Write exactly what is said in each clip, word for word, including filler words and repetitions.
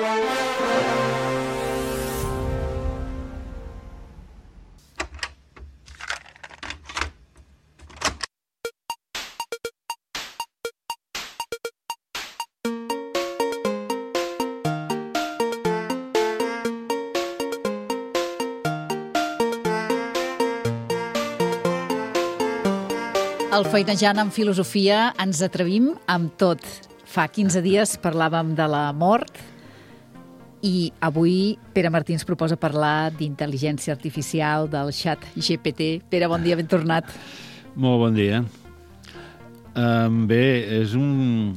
Al Feinejant en Filosofia ens atrevim amb tot. Fa quinze dies parlàvem de la mort i avui Pere Martí ens proposa parlar d'intel·ligència artificial, del xat G P T. Pere, bon dia, ben tornat. Molt bon dia. Um, bé, és un,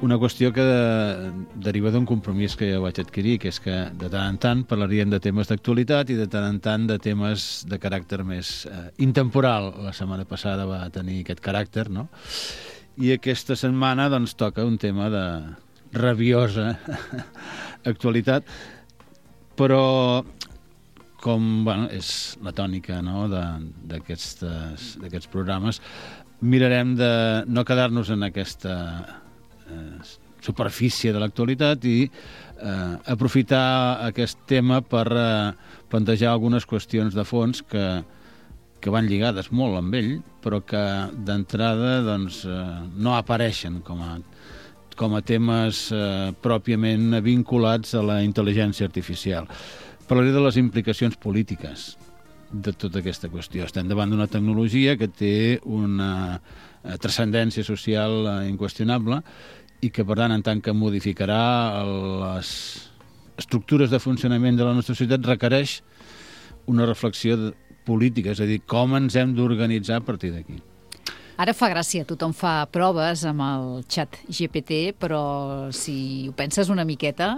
una qüestió que de, deriva d'un compromís que jo vaig adquirir, que és que de tant en tant parlaríem de temes d'actualitat i de tant en tant de temes de caràcter més eh, intemporal. La setmana passada va tenir aquest caràcter, no? I aquesta setmana doncs toca un tema de rabiosa actualitat, però com bueno, és la tònica, no, d'aquests programes, mirarem de no quedar-nos en aquesta eh, superfície de l'actualitat i eh, aprofitar aquest tema per eh, plantejar algunes qüestions de fons que que van lligades molt amb ell, però que d'entrada doncs, eh, no apareixen com a, com a temes eh, pròpiament vinculats a la intel·ligència artificial. Parlaré de les implicacions polítiques de tota aquesta qüestió. Estem davant d'una tecnologia que té una eh, transcendència social eh, inqüestionable i que, per tant, en tant que modificarà les estructures de funcionament de la nostra societat, requereix una reflexió de política, és a dir, com ens hem d'organitzar a partir d'aquí. Ara fa gràcia, tothom fa proves amb el xat G P T, però si ho penses una miqueta,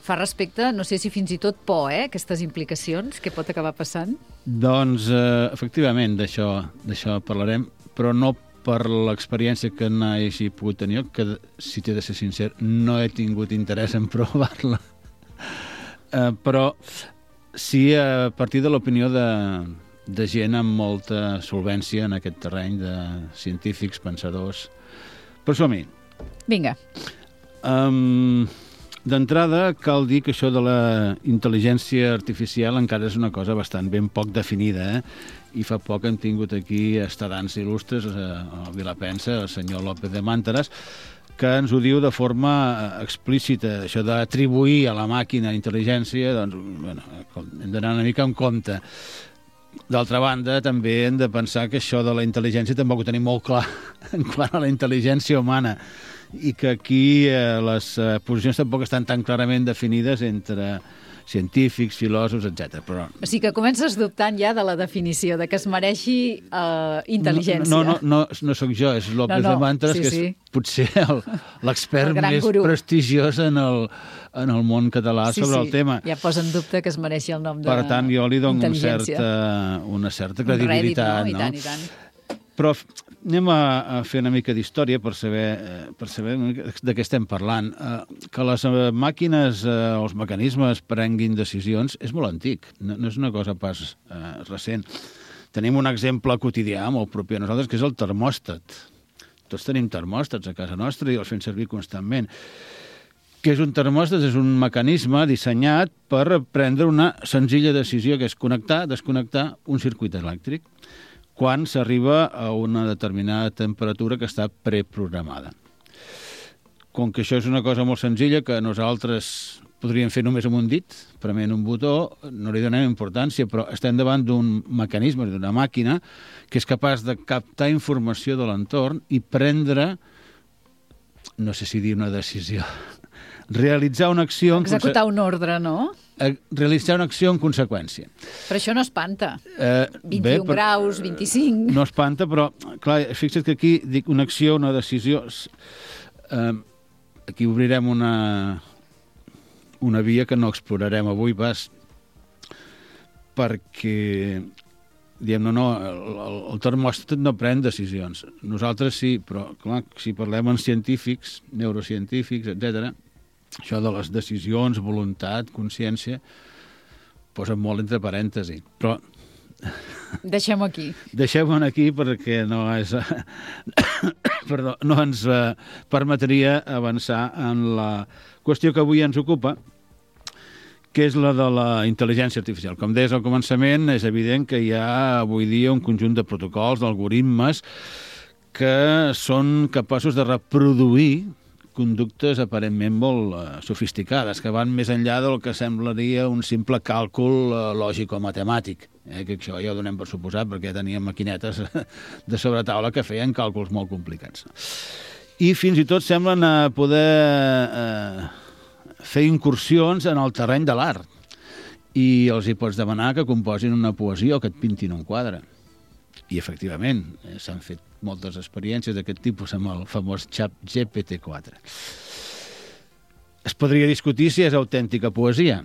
fa respecte, no sé si fins i tot por, eh, aquestes implicacions, què pot acabar passant? Doncs, eh, efectivament, d'això d'això parlarem, però no per l'experiència que n'hagi pogut tenir, que, si t'he de ser sincer, no he tingut interès en provar-la. Eh, però sí, a partir de l'opinió de, de gent amb molta solvència en aquest terreny, de científics, pensadors. Però som-hi. Vinga. Um, D'entrada, cal dir que això de la intel·ligència artificial encara és una cosa bastant ben poc definida, eh? I fa poc hem tingut aquí estadants il·lustres, a Vilapensa, el senyor López de Màntaras, que ens ho diu de forma explícita, això d'atribuir a la màquina intel·ligència, doncs, bueno, hem d'anar una mica en compte. D'altra banda, també hem de pensar que això de la intel·ligència tampoc ho tenim molt clar en quant a la intel·ligència humana i que aquí eh, les eh, posicions tampoc estan tan clarament definides entre científics, filòsofs, etcètera. Però... O sigui que comences dubtant ja de la definició, de que es mereixi uh, intel·ligència. No, no, no, no, no sóc jo, és López no, no. de Màntaras, sí, que és sí. potser l'expert més guru. prestigiós en el, en el món català sí, sobre sí. el tema. Ja posa en dubte que es mereixi el nom de Per tant, jo li dono un certa, una certa credibilitat. Un rèdit, no? I no? tant, i tant. Però anem a, a fer una mica d'història per saber, eh, per saber de què estem parlant. Eh, que les eh, màquines, eh, els mecanismes prenguin decisions és molt antic, no, no és una cosa pas eh, recent. Tenim un exemple quotidià molt propi a nosaltres, que és el termòstat. Tots tenim termòstats a casa nostra i els fem servir constantment. Què és un termòstat? És un mecanisme dissenyat per prendre una senzilla decisió, que és connectar, desconnectar un circuit elèctric, quan s'arriba a una determinada temperatura que està preprogramada. Com que això és una cosa molt senzilla, que nosaltres podríem fer només amb un dit, prement un botó, no li donem importància, però estem davant d'un mecanisme, d'una màquina, que és capaç de captar informació de l'entorn i prendre, no sé si dir una decisió, realitzar una acció... Executar un ordre, no? Realitzar una acció en conseqüència. Però això no espanta. Eh, vint-i-un bé, però, graus, vint-i-cinc... No espanta, però, clar, fixa't que aquí dic una acció, una decisió... Eh, aquí obrirem una, una via que no explorarem avui pas, perquè, diem, no, no, el, el termòstat no pren decisions. Nosaltres sí, però, clar, si parlem en científics, neurocientífics, etcètera, això de les decisions, voluntat, consciència, posen molt entre parèntesi. Però... Deixem-ho aquí. Deixem-ho aquí perquè no és... Perdó, no ens eh, permetria avançar en la qüestió que avui ens ocupa, que és la de la intel·ligència artificial. Com deies al començament, és evident que hi ha avui dia un conjunt de protocols, d'algoritmes, que són capaços de reproduir conductes aparentment molt uh, sofisticades, que van més enllà del que semblaria un simple càlcul uh, lògic o matemàtic. Eh? Que això ja ho donem per suposat, perquè teníem maquinetes de sobretaula que feien càlculs molt complicats. I fins i tot semblen uh, poder uh, fer incursions en el terreny de l'art. I els hi pots demanar que composin una poesia o que et pintin un quadre. I, efectivament, eh, s'han fet moltes experiències d'aquest tipus amb el famós xat G P T quatre. Es podria discutir si és autèntica poesia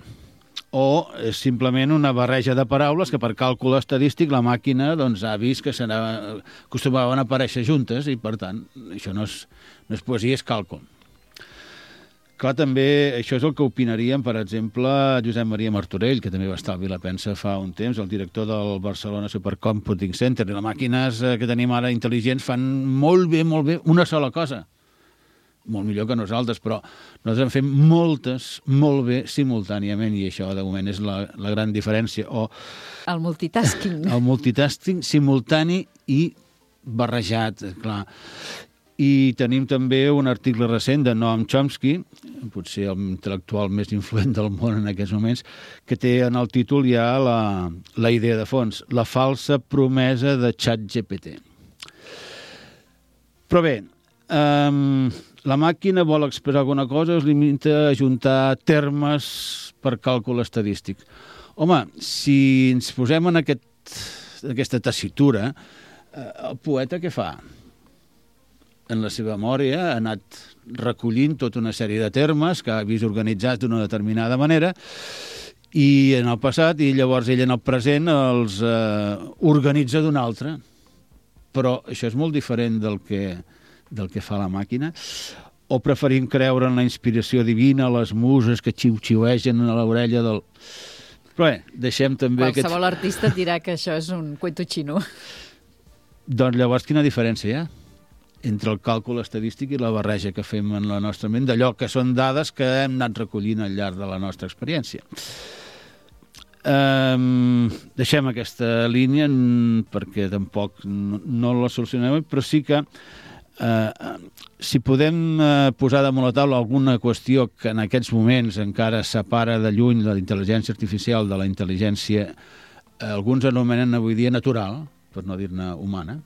o és simplement una barreja de paraules que per càlcul estadístic la màquina doncs, ha vist que acostumaven a aparèixer juntes i, per tant, això no és, no és poesia, és càlcul. Clar, també això és el que opinaríem, per exemple, Josep Maria Martorell, que també va estar al Vilapensa fa un temps, el director del Barcelona Supercomputing Center. I les màquines que tenim ara intel·ligents fan molt bé, molt bé, una sola cosa. Molt millor que nosaltres, però nosaltres en fem moltes, molt bé, simultàniament, i això, de moment, és la, la gran diferència. O el multitasking. El multitasking simultani i barrejat, clar. I tenim també un article recent de Noam Chomsky, potser el intel·lectual més influent del món en aquests moments, que té en el títol ja la, la idea de fons, la falsa promesa de ChatGPT. Però bé, um, la màquina vol expressar alguna cosa, es limita a ajuntar termes per càlcul estadístic. Home, si ens posem en aquest, aquesta tessitura, el poeta què fa? En la seva memòria ha anat recollint tota una sèrie de termes que ha vist organitzats d'una determinada manera i en el passat, i llavors ell en el present els eh, organitza d'una altra. Però això és molt diferent del que, del que fa la màquina. O preferim creure en la inspiració divina, les muses que xiu-xiuegen a l'orella del... Però bé, deixem també... Qualsevol aquest... artista dirà que això és un cuento xino. Doncs llavors quina diferència hi ha entre el càlcul estadístic i la barreja que fem en la nostra ment d'allò que són dades que hem anat recollint al llarg de la nostra experiència. Um, deixem aquesta línia perquè tampoc no, no la solucionem, però sí que uh, si podem uh, posar damunt la taula alguna qüestió que en aquests moments encara separa de lluny la intel·ligència artificial de la intel·ligència, uh, alguns anomenen avui dia natural, per no dir-ne humana,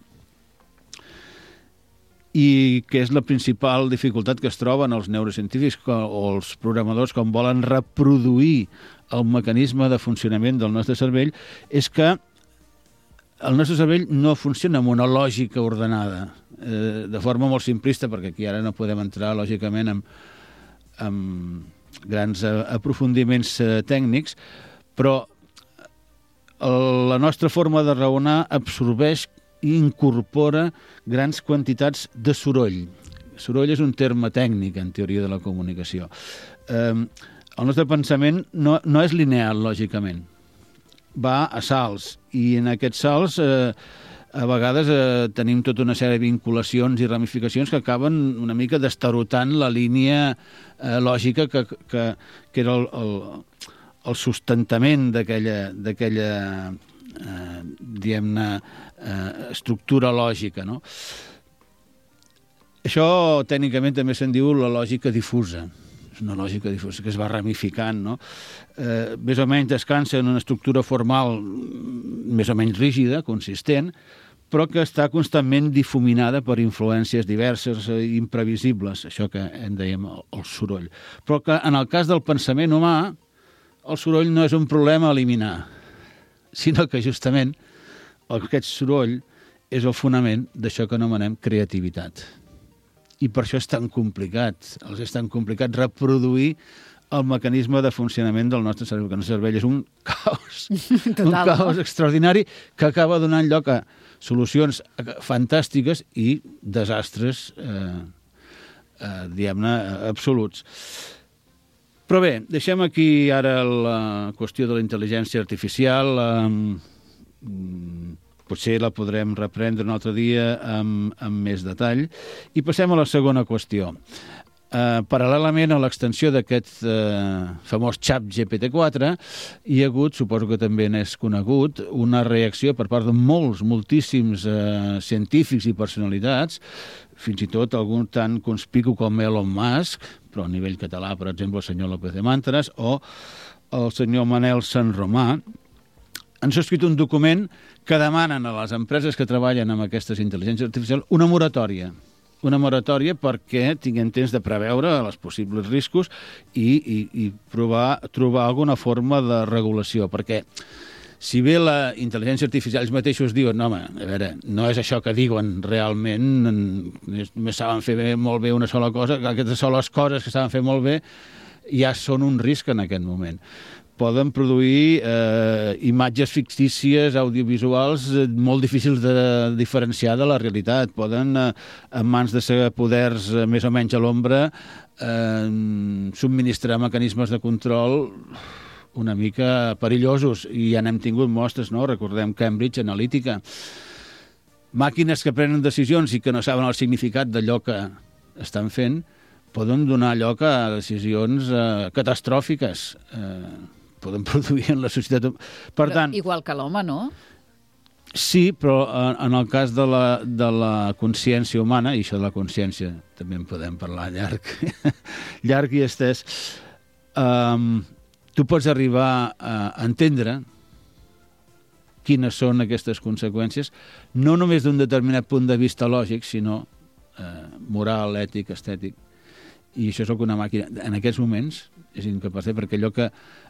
i que és la principal dificultat que es troben els neurocientífics o els programadors quan volen reproduir el mecanisme de funcionament del nostre cervell, és que el nostre cervell no funciona amb una lògica ordenada, eh, de forma molt simplista, perquè aquí ara no podem entrar, lògicament, amb, amb grans aprofundiments eh, tècnics, però la nostra forma de raonar absorbeix i incorpora grans quantitats de soroll. Soroll és un terme tècnic en teoria de la comunicació. Eh, el nostre pensament no, no és lineal, lògicament. Va a salts, i en aquests salts eh, a vegades eh, tenim tota una sèrie de vinculacions i ramificacions que acaben una mica destarotant la línia eh, lògica que, que, que era el, el, el sustentament d'aquella d'aquella Eh, diguem-ne eh, estructura lògica, no? Això tècnicament també se'n diu la lògica difusa. És una lògica difusa que es va ramificant, no? Eh, més o menys descansa en una estructura formal més o menys rígida, consistent, però que està constantment difuminada per influències diverses i imprevisibles, això que en dèiem el, el soroll. Però que en el cas del pensament humà, el soroll no és un problema a eliminar, sinó que justament aquest soroll és el fonament d'això que anomenem creativitat. I per això és tan complicat, els és tan complicat reproduir el mecanisme de funcionament del nostre cervell, que el nostre cervell és un caos, Total, un caos no? extraordinari que acaba donant lloc a solucions fantàstiques i desastres, eh, eh, diguem-ne, absoluts. Però bé, deixem aquí ara la qüestió de la intel·ligència artificial. Eh, potser la podrem reprendre un altre dia amb, amb més detall. I passem a la segona qüestió. Uh, paral·lelament a l'extensió d'aquest uh, famós xap G P T quatre, hi ha hagut, suposo que també n'és conegut, una reacció per part de molts, moltíssims uh, científics i personalitats, fins i tot algun tan conspicu com Elon Musk, però a nivell català, per exemple, el senyor López de Mantras, o el senyor Manel Sanromà, han subscrit un document que demanen a les empreses que treballen amb aquestes intel·ligències artificials una moratòria. Una moratòria perquè tinguem temps de preveure els possibles riscos i, i, i provar, trobar alguna forma de regulació. Perquè si bé la intel·ligència artificial ells mateixos diuen no, home, a veure, no és això que diuen realment, només saben fer bé, molt bé una sola cosa, aquestes soles coses que saben fer molt bé ja són un risc en aquest moment. Poden produir eh, imatges fictícies, audiovisuals, eh, molt difícils de diferenciar de la realitat. Poden, eh, en mans de ser poders eh, més o menys a l'ombra, eh, subministrar mecanismes de control una mica perillosos. I ja n'hem tingut mostres, no? Recordem Cambridge Analytica. Màquines que prenen decisions i que no saben el significat d'allò que estan fent poden donar lloc a decisions eh, catastròfiques. Eh, poden produir en la societat. Per però tant, igual que l'home, no? Sí, però en el cas de la, de la consciència humana, i això de la consciència també en podem parlar llarg, llarg i estès, um, tu pots arribar a entendre quines són aquestes conseqüències, no només d'un determinat punt de vista lògic, sinó eh, moral, ètic, estètic. I això és el que una màquina, en aquests moments, és incapaç de, perquè allò que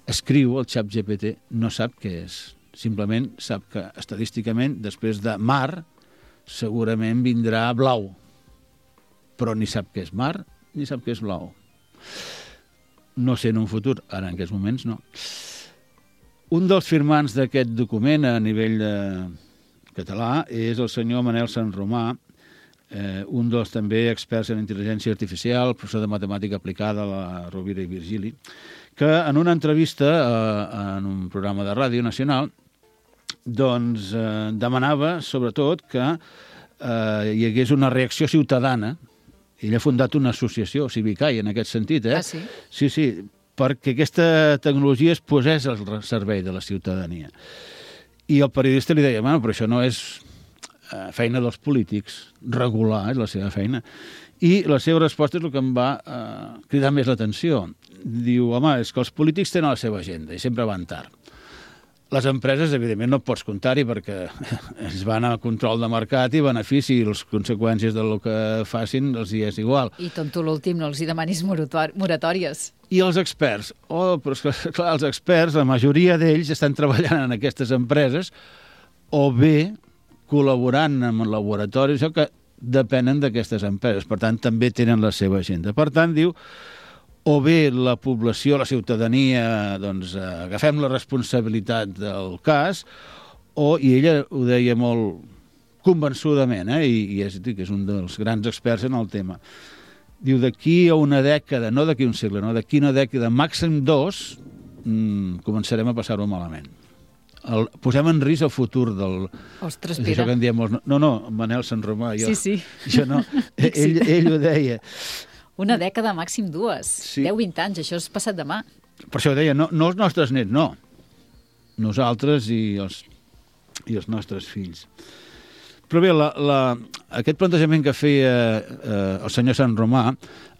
escriu el xap G P T no sap què és. Simplement sap que estadísticament, després de mar, segurament vindrà blau. Però ni sap què és mar, ni sap què és blau. No sé en un futur, ara en aquests moments no. Un dels firmants d'aquest document a nivell de català és el senyor Manel Sanromà, Eh, un dels també experts en intel·ligència artificial, professor de matemàtica aplicada a la Rovira i Virgili, que en una entrevista eh, en un programa de ràdio nacional doncs eh, demanava sobretot que eh, hi hagués una reacció ciutadana. Ell ha fundat una associació, Civicai, en aquest sentit. Eh? Ah, sí? Sí, sí, perquè aquesta tecnologia es posés al servei de la ciutadania. I el periodista li deia, bueno, però això no és feina dels polítics, regular és la seva feina. I la seva resposta és el que em va eh, cridar més l'atenció. Diu, home, és que els polítics tenen la seva agenda i sempre van tard. Les empreses, evidentment, no pots comptar-hi perquè es van a control de mercat i benefici i les conseqüències del que facin els hi és igual. I tonto l'últim, no els hi demanis moratòries. I els experts? Oh, però és que, clar, els experts, la majoria d'ells estan treballant en aquestes empreses o bé col·laborant amb laboratoris que depenen d'aquestes empreses. Per tant, també tenen la seva agenda. Per tant, diu, o bé la població, la ciutadania, doncs, agafem la responsabilitat del cas, o, i ella ho deia molt convençudament, eh, i, i és, dic, és un dels grans experts en el tema, diu, d'aquí a una dècada, no d'aquí un segle, no, d'aquí una dècada, màxim dos, mmm, començarem a passar-ho malament. El, posem en risc el futur del... Ostres, Pere. Això que en diem molts... No, no, Manel Sanromà, jo... Sí, sí. Jo no. ell, ell ho deia. Una dècada, màxim dues. Sí. deu vint anys, això és passat demà. Per això ho deia, no, no els nostres nets, no. Nosaltres i els, i els nostres fills. Però bé, la, la, aquest plantejament que feia eh, el senyor Sanromà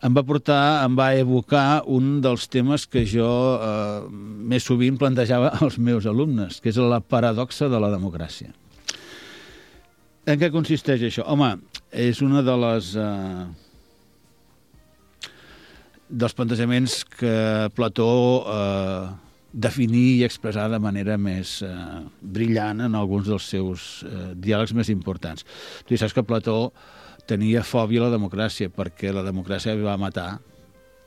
em va portar, em va evocar un dels temes que jo eh, més sovint plantejava als meus alumnes, que és la paradoxa de la democràcia. En què consisteix això? Home, és una de les... Eh, dels plantejaments que Plató eh, definir i expressar de manera més eh, brillant en alguns dels seus eh, diàlegs més importants. Tu saps que Plató tenia fòbia a la democràcia perquè la democràcia va matar,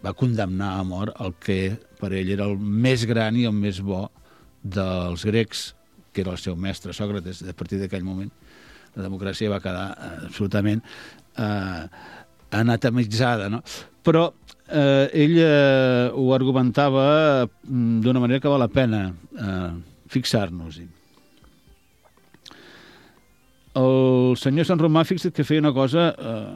va condemnar a mort el que per ell era el més gran i el més bo dels grecs, que era el seu mestre Sòcrates. A partir d'aquell moment la democràcia va quedar eh, absolutament eh, anatemitzada, no? Però eh, ell eh, ho argumentava d'una manera que val la pena eh, fixar-nos-hi. El senyor Sanromà, fixa't que feia una cosa eh,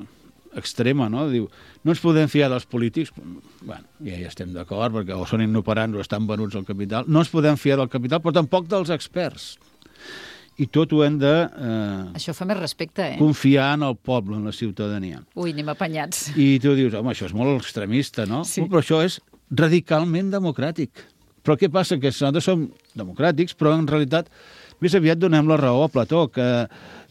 extrema, no? Diu, no ens podem fiar dels polítics. Bueno, ja hi estem d'acord, perquè o són inoperants o estan venuts al capital. No ens podem fiar del capital, però tampoc dels experts. I tot ho hem de... Eh, això fa més respecte, eh? Confiar en el poble, en la ciutadania. Ui, anem apanyats. I tu dius, home, això és molt extremista, no? Sí. Però això és radicalment democràtic. Però què passa? Que nosaltres som democràtics, però en realitat més aviat donem la raó a Plató, que,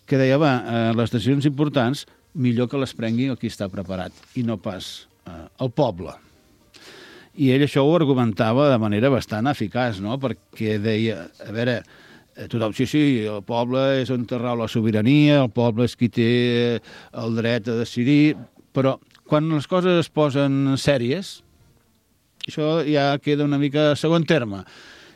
que deia, va, eh, les decisions importants millor que les prengui el qui està preparat, i no pas eh, el poble. I ell això ho argumentava de manera bastant eficaç, no? Perquè deia, a veure... Tothom, sí, sí, el poble és on rau la sobirania, el poble és qui té el dret a decidir, però quan les coses es posen sèries, això ja queda una mica a segon terme.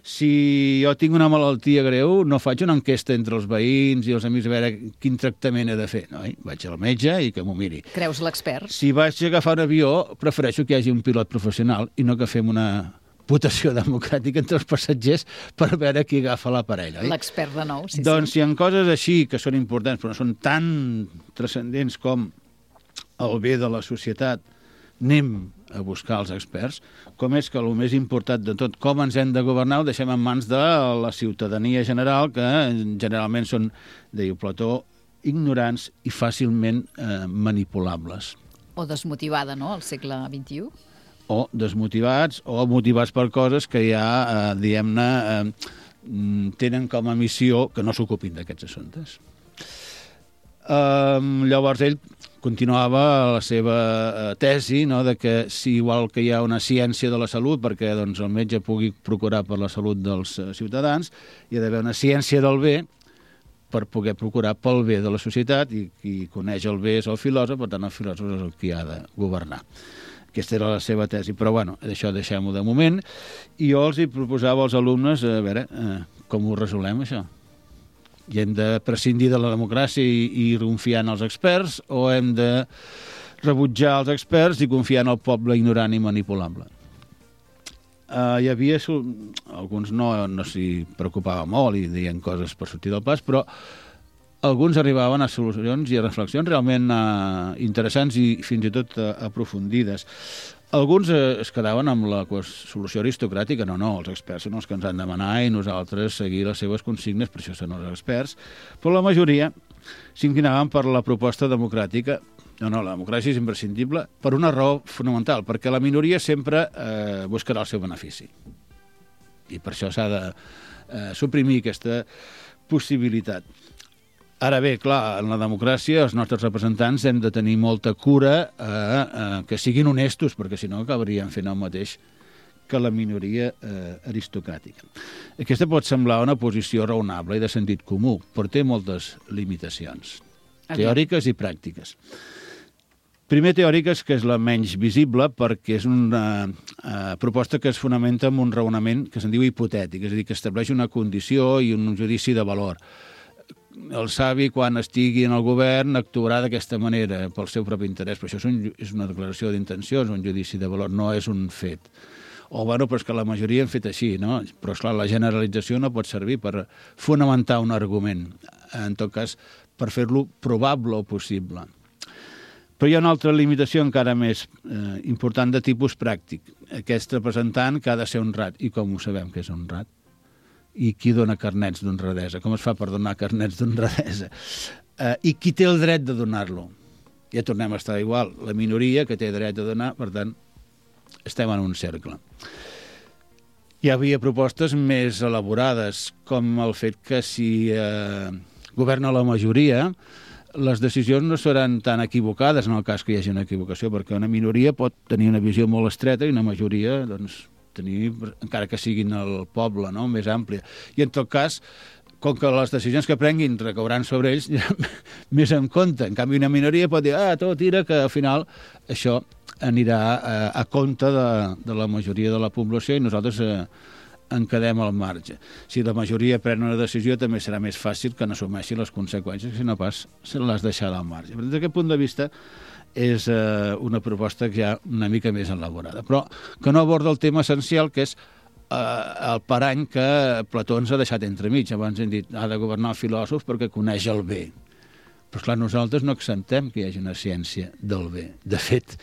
Si jo tinc una malaltia greu, no faig una enquesta entre els veïns i els amics a veure quin tractament he de fer. No, eh? Vaig al metge i que m'ho miri. Creus l'expert? Si vaig a agafar un avió, prefereixo que hi hagi un pilot professional i no que fem una... votació democràtica entre els passatgers per veure qui agafa l'aparell, oi? L'expert de nou, sí, doncs sí. si hi ha coses així que són importants, però no són tan transcendents com el bé de la societat, anem a buscar els experts, com és que el més important de tot, com ens hem de governar, ho deixem en mans de la ciutadania general, que generalment són, diu Plató, ignorants i fàcilment eh, manipulables. O desmotivada, no?, al segle vint-i-u. O desmotivats, o motivats per coses que ja, eh, diguem-ne, eh, tenen com a missió que no s'ocupin d'aquests assumptes. Eh, llavors ell continuava la seva tesi, no?, de que si igual que hi ha una ciència de la salut perquè doncs, el metge pugui procurar per la salut dels ciutadans, hi ha d'haver una ciència del bé per poder procurar pel bé de la societat, i qui coneix el bé és el filòsof, per tant el filòsof és el qui ha de governar. Aquesta era la seva tesi, però bueno, això deixem-ho de moment. I jo els hi proposava als alumnes, a veure, eh, com ho resolem, això? I hem de prescindir de la democràcia i, i confiar en els experts, o hem de rebutjar els experts i confiar en el poble ignorant i manipulable? Uh, hi havia... Alguns no, no s'hi preocupava molt i deien coses per sortir del pas, però alguns arribaven a solucions i a reflexions realment eh, interessants i fins i tot eh, aprofundides. Alguns eh, es quedaven amb la solució aristocràtica. No, no, els experts són els que ens han de demanar i nosaltres seguir les seves consignes, per això són els experts. Però la majoria s'inclinaven per la proposta democràtica. No, no, la democràcia és imprescindible per una raó fonamental, perquè la minoria sempre eh, buscarà el seu benefici. I per això s'ha de eh, suprimir aquesta possibilitat. Ara bé, clar, en la democràcia els nostres representants hem de tenir molta cura eh, eh, que siguin honestos, perquè si no acabarien fent el mateix que la minoria eh, aristocràtica. Aquesta pot semblar una posició raonable i de sentit comú, però té moltes limitacions, teòriques i pràctiques. Primer, teòriques, que és la menys visible, perquè és una eh, proposta que es fonamenta en un raonament que se'n diu hipotètic, és a dir, que estableix una condició i un judici de valor. El savi, quan estigui en el govern, actuarà d'aquesta manera, pel seu propi interès. Però això és, un, és una declaració d'intencions, un judici de valor, no és un fet. O, bueno, però és que la majoria han fet així, no? Però, esclar, la generalització no pot servir per fonamentar un argument. En tot cas, per fer-lo probable o possible. Però hi ha una altra limitació encara més eh, important de tipus pràctic. Aquest representant que ha de ser honrat. I com ho sabem que és honrat? I qui dona carnets d'honradesa? Com es fa per donar carnets d'honradesa? Uh, I qui té el dret de donar-lo? Ja tornem a estar igual. La minoria que té dret a donar, per tant, estem en un cercle. Hi havia propostes més elaborades, com el fet que si uh, governa la majoria, les decisions no seran tan equivocades en el cas que hi hagi una equivocació, perquè una minoria pot tenir una visió molt estreta i una majoria, doncs, tenir, encara que siguin el poble, no?, més àmplia. I en tot cas, com que les decisions que prenguin recauran sobre ells, més en compte. En canvi, una minoria pot dir, ah, tot tira, que al final això anirà a, a compte de, de la majoria de la població i nosaltres eh, en quedem al marge. Si la majoria pren una decisió, també serà més fàcil que n'assumeixi les conseqüències, si no pas se les deixarà al marge. Des d'aquest punt de vista, és eh, una proposta que ja una mica més elaborada, però que no aborda el tema essencial, que és eh, el parany que Plató ens ha deixat entremig. Abans hem dit, ha de governar el filòsof perquè coneix el bé. Però, esclar, nosaltres no acceptem que hi hagi una ciència del bé. De fet,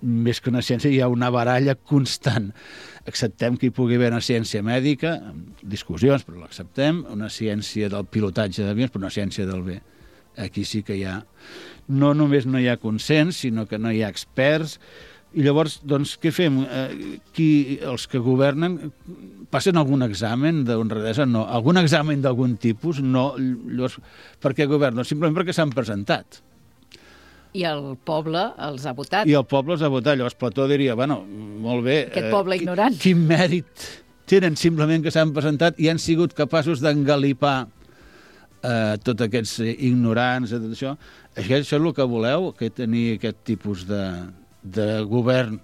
més que una ciència, hi ha una baralla constant. Acceptem que hi pugui haver una ciència mèdica, amb discussions, però l'acceptem, una ciència del pilotatge d'avions, però una ciència del bé. Aquí sí que hi ha... No només no hi ha consens, sinó que no hi ha experts. I llavors, doncs, què fem? Eh, qui, els que governen passen algun examen d'honradesa? No. Algun examen d'algun tipus? No. Llavors, per què governen? Simplement perquè s'han presentat. I el poble els ha votat. I el poble els ha votat. Llavors Plató diria, bueno, molt bé... Aquest poble eh, ignorant. Quin mèrit tenen simplement que s'han presentat i han sigut capaços d'engalipar eh, tots aquests ignorants, tot això. Això és el que voleu, que tenir aquest tipus de... de govern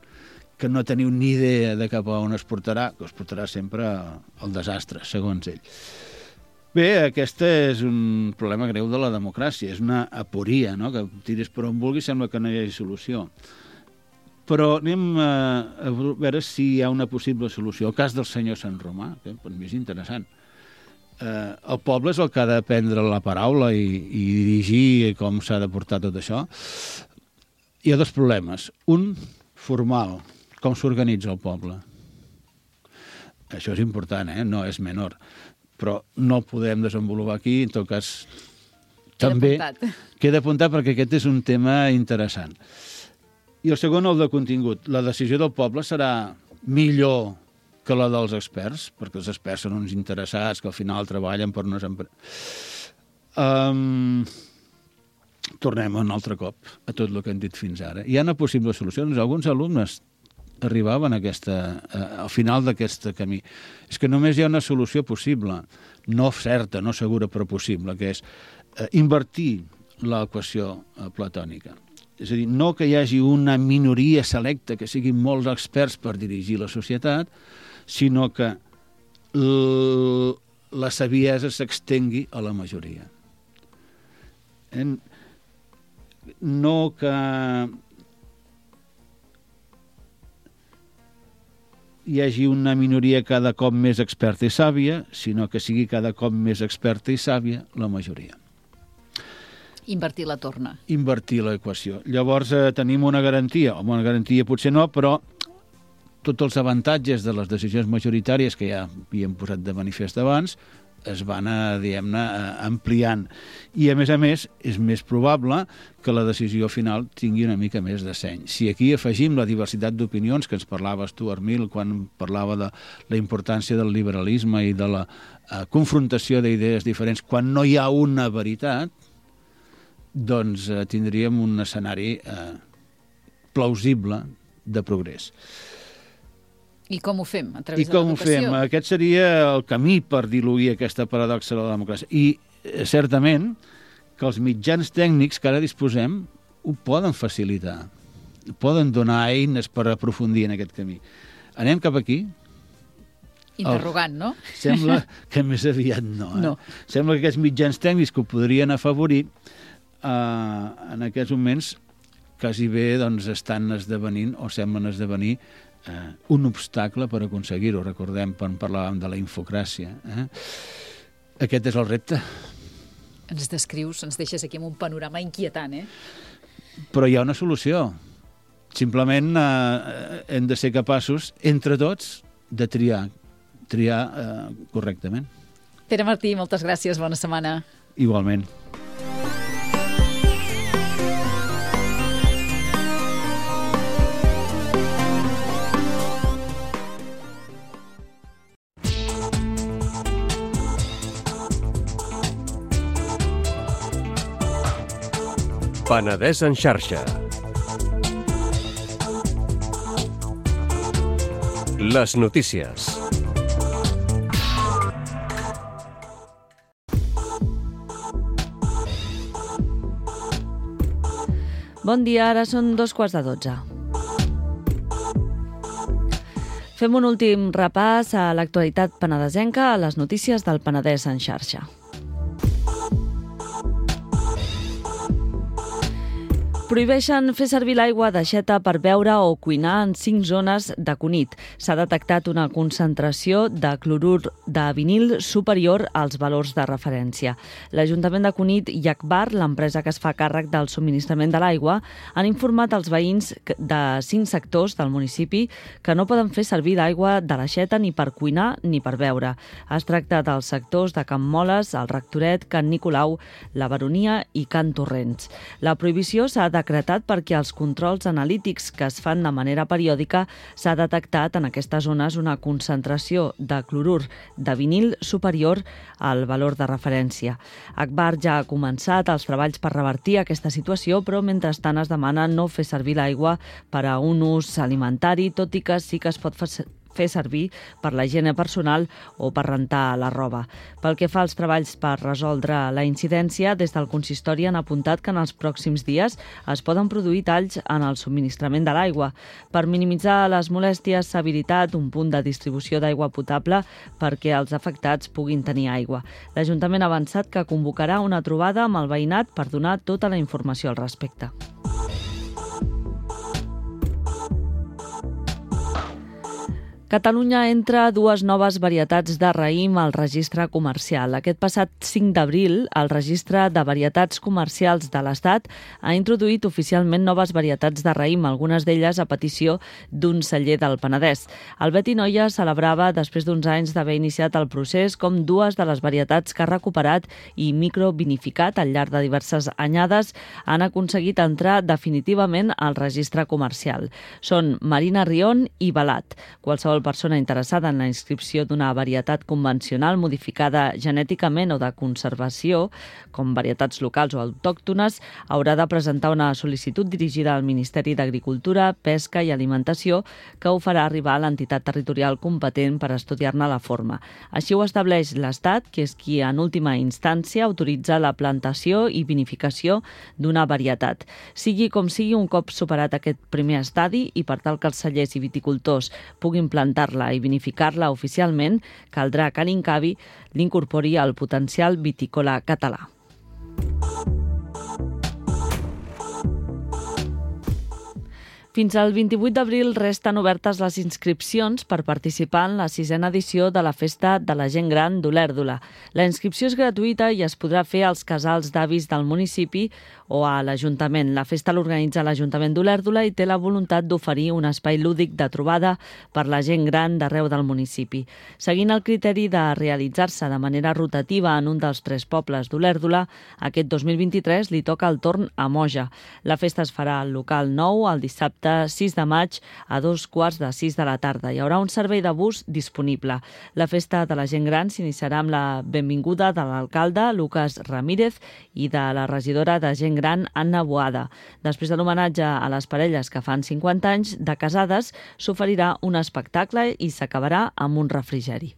que no teniu ni idea de cap a on es portarà, que es portarà sempre al desastre, segons ell. Bé, aquest és un problema greu de la democràcia, és una aporia, no? Que tiris per on vulguis, sembla que no hi hagi solució. Però anem a, a veure si hi ha una possible solució. El cas del senyor Sant Romà, que per mi és interessant. Eh, el poble és el que ha de prendre la paraula i, i dirigir com s'ha de portar tot això. Hi ha dos problemes. Un, formal, com s'organitza el poble. Això és important, eh? No és menor. Però no el podem desenvolupar aquí, en tot cas... També queda apuntat perquè aquest és un tema interessant. I el segon, el de contingut. La decisió del poble serà millor que la dels experts, perquè els experts són uns interessats que al final treballen per unes empreses. Um... Tornem un altre cop a tot el que hem dit fins ara. Hi ha una possible solució. Alguns alumnes arribaven a aquesta, a, al final d'aquest camí. És que només hi ha una solució possible, no certa, no segura, però possible, que és eh, invertir l'equació eh, platònica. És a dir, no que hi hagi una minoria selecta, que siguin molts experts per dirigir la societat, sinó que l... la saviesa s'extengui a la majoria. En... No que hi hagi una minoria cada cop més experta i sàvia, sinó que sigui cada cop més experta i sàvia la majoria. Invertir la torna. Invertir l'equació. Llavors eh, tenim una garantia, o una garantia potser no, però tots els avantatges de les decisions majoritàries que ja havíem posat de manifest abans es van, diguem-ne, ampliant. I, a més a més, és més probable que la decisió final tingui una mica més de seny. Si aquí afegim la diversitat d'opinions que ens parlava Stuart Mill quan parlava de la importància del liberalisme i de la eh, confrontació d'idees diferents, quan no hi ha una veritat, doncs eh, tindríem un escenari eh, plausible de progrés. I com ho fem? A través I com de ho fem? Aquest seria el camí per diluir aquesta paradoxa de la democràcia. I eh, certament que els mitjans tècnics que ara disposem ho poden facilitar, poden donar eines per aprofundir en aquest camí. Anem cap aquí? Interrogant, no? Sembla que més aviat no. Eh? No. Sembla que aquests mitjans tècnics que ho podrien afavorir eh, en aquests moments quasi bé doncs, estan esdevenint o semblen esdevenir eh, un obstacle per aconseguir-ho. Recordem quan parlàvem de la infocràcia. Eh? Aquest és el repte. Ens descrius, ens deixes aquí amb un panorama inquietant, eh? Però hi ha una solució. Simplement eh, hem de ser capaços, entre tots, de triar, triar eh, correctament. Pere Martí, moltes gràcies, bona setmana. Igualment. Penedès en xarxa. Les notícies. Bon dia, ara són dos quarts de dotze. Fem un últim repàs a l'actualitat penedesenca a les notícies del Penedès en xarxa. Prohibeixen fer servir l'aigua d'aixeta per beure o cuinar en cinc zones de Cunit. S'ha detectat una concentració de clorur de vinil superior als valors de referència. L'Ajuntament de Cunit i Agbar, l'empresa que es fa càrrec del subministrament de l'aigua, han informat als veïns de cinc sectors del municipi que no poden fer servir l'aigua de l'aixeta ni per cuinar ni per beure. Es tracta dels sectors de Can Moles, el Rectoret, Can Nicolau, la Baronia i Can Torrents. La prohibició s'ha decretat perquè als controls analítics que es fan de manera periòdica s'ha detectat en aquestes zones una concentració de clorur de vinil superior al valor de referència. Agbar ja ha començat els treballs per revertir aquesta situació, però mentrestant es demana no fer servir l'aigua per a un ús alimentari, tot i que sí que es pot fer fer servir per la higiene personal o per rentar la roba. Pel que fa als treballs per resoldre la incidència, des del consistori han apuntat que en els pròxims dies es poden produir talls en el subministrament de l'aigua. Per minimitzar les molèsties s'ha habilitat un punt de distribució d'aigua potable perquè els afectats puguin tenir aigua. L'Ajuntament ha avançat que convocarà una trobada amb el veïnat per donar tota la informació al respecte. Catalunya entra dues noves varietats de raïm al registre comercial. Aquest passat cinc d'abril, el registre de varietats comercials de l'Estat ha introduït oficialment noves varietats de raïm, algunes d'elles a petició d'un celler del Penedès. El Beti Noia celebrava, després d'uns anys d'haver iniciat el procés, com dues de les varietats que ha recuperat i microvinificat al llarg de diverses anyades han aconseguit entrar definitivament al registre comercial. Són Marina Rion i Balat. Qualsevol persona interessada en la inscripció d'una varietat convencional modificada genèticament o de conservació, com varietats locals o autòctones, haurà de presentar una sol·licitud dirigida al Ministeri d'Agricultura, Pesca i Alimentació, que ho farà arribar a l'entitat territorial competent per estudiar-ne la forma. Així ho estableix l'Estat, que és qui en última instància autoritza la plantació i vinificació d'una varietat. Sigui com sigui, un cop superat aquest primer estadi i per tal que els cellers i viticultors puguin plantar la i vinificar-la oficialment, caldrà que l'Incavi l'incorpori al potencial vitícola català. Fins al vint-i-vuit d'abril resten obertes les inscripcions per participar en la sisena edició de la Festa de la Gent Gran d'Olèrdola. La inscripció és gratuïta i es podrà fer als casals d'avis del municipi o a l'Ajuntament. La festa l'organitza l'Ajuntament d'Olèrdola i té la voluntat d'oferir un espai lúdic de trobada per la gent gran d'arreu del municipi. Seguint el criteri de realitzar-se de manera rotativa en un dels tres pobles d'Olèrdola, aquest dos mil vint-i-tres li toca el torn a Moja. La festa es farà al local nou el dissabte sis de maig a dos quarts de sis de la tarda. Hi haurà un servei de bus disponible. La festa de la gent gran s'iniciarà amb la benvinguda de l'alcalde Lucas Ramírez i de la regidora de gent gran Anna Boada. Després de l'homenatge a les parelles que fan cinquanta anys de casades, s'oferirà un espectacle i s'acabarà amb un refrigeri.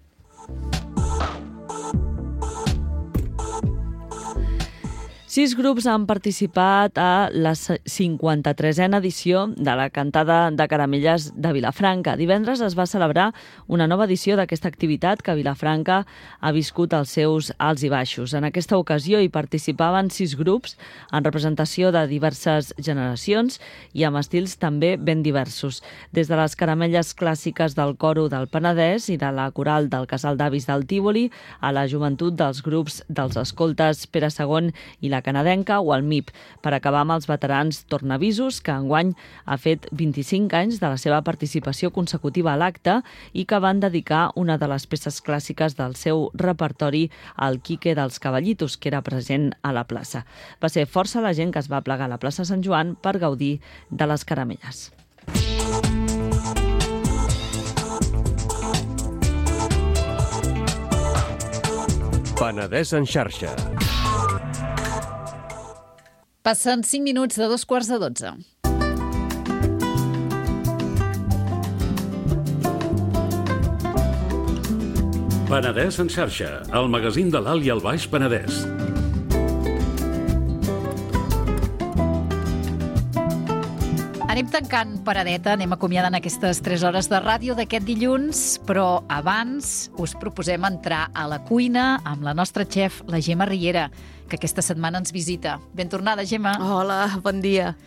Sis grups han participat a la cinquanta-tresena edició de la Cantada de Caramelles de Vilafranca. Divendres es va celebrar una nova edició d'aquesta activitat que Vilafranca ha viscut els seus alts i baixos. En aquesta ocasió hi participaven sis grups en representació de diverses generacions i amb estils també ben diversos. Des de les caramelles clàssiques del coro del Penedès i de la coral del Casal d'Avis del Tívoli a la joventut dels grups dels escoltes Pere segon i la Canadenca o el M I P, per acabar amb els veterans Tornavisos, que enguany ha fet vint-i-cinc anys de la seva participació consecutiva a l'acte i que van dedicar una de les peces clàssiques del seu repertori al Quique dels Cavallitos, que era present a la plaça. Va ser força la gent que es va plegar a la plaça Sant Joan per gaudir de les caramelles. Penedès en xarxa. Passen cinc minuts de dos quarts de dotze. Penedès en xarxa, el magazín de l'Alt i el Baix Penedès. Anem tancant paradeta, anem acomiadant aquestes tres hores de ràdio d'aquest dilluns, però abans us proposem entrar a la cuina amb la nostra xef, la Gemma Riera, que aquesta setmana ens visita. Ben tornada, Gemma. Hola, bon dia.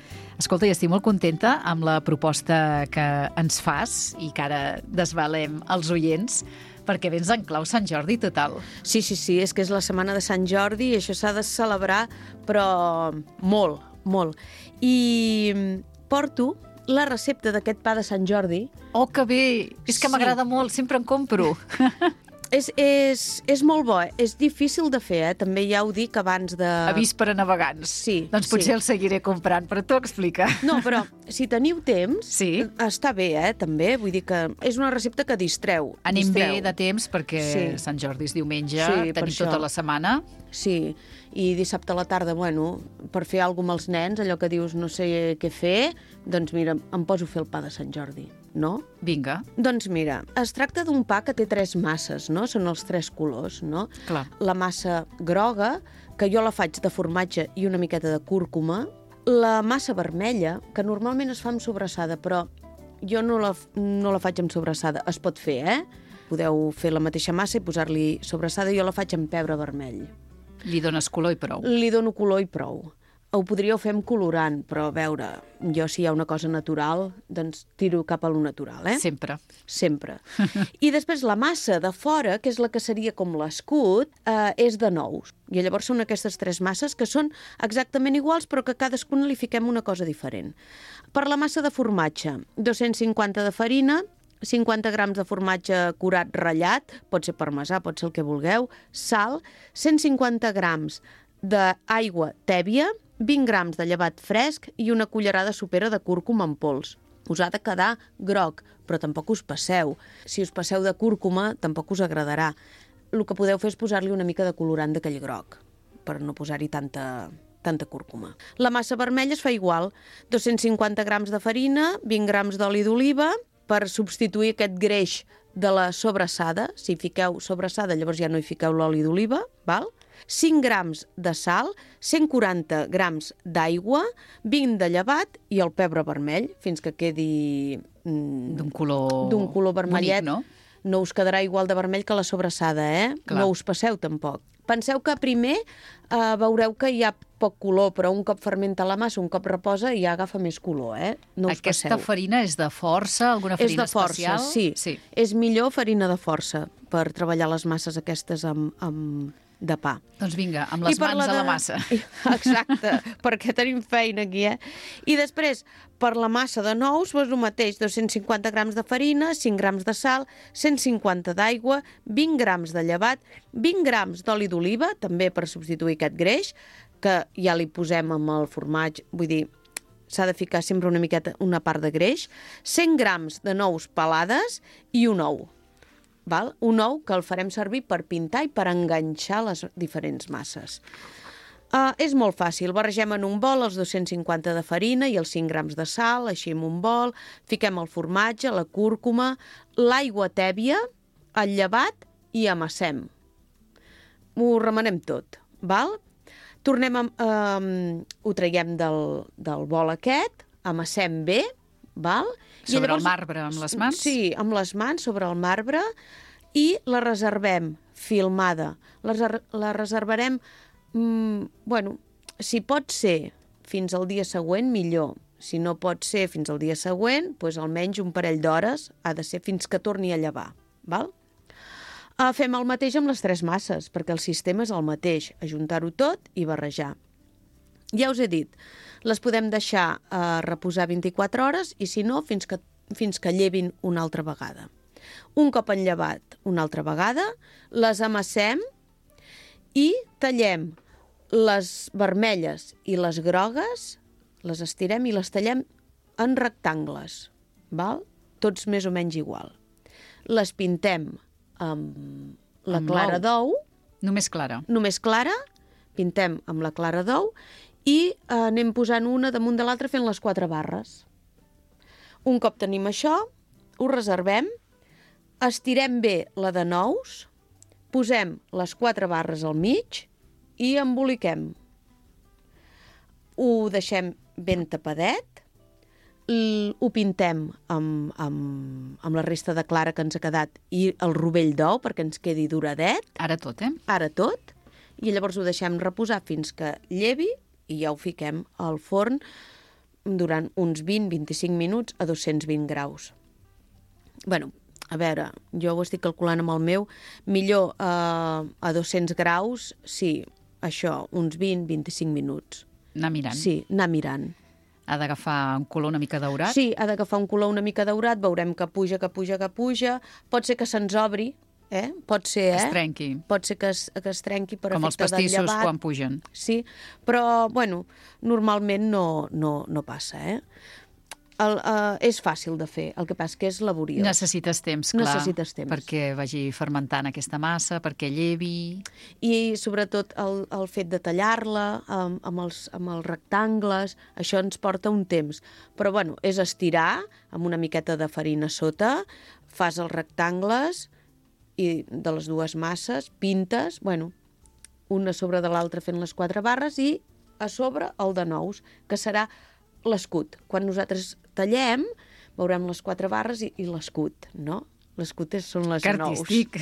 Escolta, i estic molt contenta amb la proposta que ens fas i que ara desvalem als oients, perquè vens en clau Sant Jordi total. Sí, sí, sí, és que és la setmana de Sant Jordi i això s'ha de celebrar, però molt, molt. I porto la recepta d'aquest pa de Sant Jordi. Oh, que bé! És que Sí. m'agrada molt, sempre en compro. És, és, és molt bo, eh? És difícil de fer, eh? També ja ho dic abans de... Avís per a navegants. Sí, Doncs potser sí. el seguiré comprant, però tu explica. No, però si teniu temps, Sí. està bé, eh? També, vull dir que és una recepta que distreu. Anem distreu. bé de temps perquè Sí. Sant Jordi és diumenge, Sí, per tenim això. tota la setmana. Sí, i dissabte a la tarda, bueno, per fer alguna cosa amb els nens, allò que dius no sé què fer, doncs mira, em poso a fer el pa de Sant Jordi, no? Vinga, Doncs mira, es tracta d'un pa que té tres masses, no? Són els tres colors, no? clar. La massa groga, que jo la faig de formatge i una miqueta de cúrcuma. La massa vermella, que normalment es fa amb sobrassada, però jo no la, no la faig amb sobrassada. Es pot fer, eh? Podeu fer la mateixa massa i posar-li sobrassada. Jo la faig amb pebre vermell. Li dones color i prou. Li dono color i prou. Ho podríeu fer amb colorant, però a veure, jo si hi ha una cosa natural, doncs tiro cap a lo natural, eh? Sempre. Sempre. I després la massa de fora, que és la que seria com l'escut, eh, és de nous. I llavors són aquestes tres masses que són exactament iguals, però que cadascuna li fiquem una cosa diferent. Per la massa de formatge, dos-cents cinquanta de farina, cinquanta grams de formatge curat ratllat, pot ser parmesà, pot ser el que vulgueu, sal, cent cinquanta grams d'aigua tèbia, vint grams de llevat fresc i una cullerada sopera de cúrcuma en pols. Us ha de quedar groc, però tampoc us passeu. Si us passeu de cúrcuma, tampoc us agradarà. El que podeu fer és posar-li una mica de colorant d'aquell groc, per no posar-hi tanta, tanta cúrcuma. La massa vermella es fa igual, dos-cents cinquanta grams de farina, vint grams d'oli d'oliva, per substituir aquest greix de la sobrassada. Si fiqueu sobrassada, llavors ja no hi fiqueu l'oli d'oliva, val? cinc grams de sal, cent quaranta grams d'aigua, vint de llevat i el pebre vermell, fins que quedi mm, D'un color... d'un color vermellet. bonic, no? No us quedarà igual de vermell que la sobrassada, eh? Clar. No us passeu tampoc. Penseu que primer eh, veureu que hi ha poc color, però un cop fermenta la massa, un cop reposa, ja agafa més color, eh? No us Aquesta passeu. farina és de força? Alguna És farina de força, especial? sí. sí. És millor farina de força per treballar les masses aquestes amb, amb de pa. Doncs vinga, amb les I per mans a la de- massa. Exacte, perquè tenim feina aquí, eh? I després, per la massa de nous, doncs el mateix, dos-cents cinquanta grams de farina, cinc grams de sal, cent cinquanta d'aigua, vint grams de llevat, vint grams d'oli d'oliva, també per substituir aquest greix, que ja li posem amb el formatge, vull dir, s'ha de ficar sempre una miqueta, una part de greix, cent grams de nous pelades i un ou. Val? Un ou que el farem servir per pintar i per enganxar les diferents masses. Uh, és molt fàcil. Barregem en un bol els dos-cents cinquanta de farina i els cinc grams de sal, així en un bol, fiquem el formatge, la cúrcuma, l'aigua tèbia, el llevat i amassem. Ho remenem tot, val? Tornem a, um, ho traiem del, del bol aquest, amassem bé, val? I Sobre llavors- el marbre, amb les mans? Sí, amb les mans sobre el marbre i la reservem filmada. La, reser la reservarem, mm, bueno, si pot ser fins al dia següent, millor. Si no pot ser fins al dia següent, doncs almenys un parell d'hores ha de ser fins que torni a llevar. Val? Uh, fem el mateix amb les tres masses, perquè el sistema és el mateix, ajuntar-ho tot i barrejar. Ja us he dit, les podem deixar a reposar vint-i-quatre hores i, si no, fins que, fins que llevin una altra vegada. Un cop enllevat una altra vegada, les amassem i tallem les vermelles i les grogues, les estirem i les tallem en rectangles, val? Tots més o menys igual. Les pintem amb la Amb clara l'ou. d'ou, Només clara. només clara, pintem amb la clara d'ou i eh, anem posant una damunt de l'altra fent les quatre barres. Un cop tenim això, ho reservem, estirem bé la de nous, posem les quatre barres al mig i emboliquem. Ho deixem ben tapadet, l- ho pintem amb, amb, amb la resta de clara que ens ha quedat i el rovell d'ou perquè ens quedi duradet, Ara tot, eh? ara tot, i llavors ho deixem reposar fins que llevi i ja ho fiquem al forn durant uns vint a vint-i-cinc minuts a dos-cents vint graus. Bueno, a veure, jo ho estic calculant amb el meu, millor eh, a dos-cents graus, sí, això, uns vint a vint-i-cinc minuts. Anar mirant. Sí, anar mirant. Ha d'agafar un color una mica daurat. Sí, ha d'agafar un color una mica daurat, veurem que puja, que puja, que puja. Pot ser que se'ns obri, eh? Pot ser, eh? Que es trenqui. Pot ser que es, que es trenqui per Com els efecte del pastissos llevat. quan pugen. Sí, però, bueno, normalment no, no, no passa, eh? El, uh, és fàcil de fer, el que passa que és laboriós. Necessites temps, clar. Necessites temps. Perquè vagi fermentant aquesta massa, perquè llevi... I sobretot el, el fet de tallar-la amb, amb, els, amb els rectangles, això ens porta un temps. Però bueno, és estirar amb una miqueta de farina sota, fas els rectangles i de les dues masses, pintes, bueno, una sobre de l'altra fent les quatre barres i a sobre el de nous, que serà l'escut. Quan nosaltres tallem, veurem les quatre barres i, i l'escut, no? L'escut és, són les Que nous. artístic.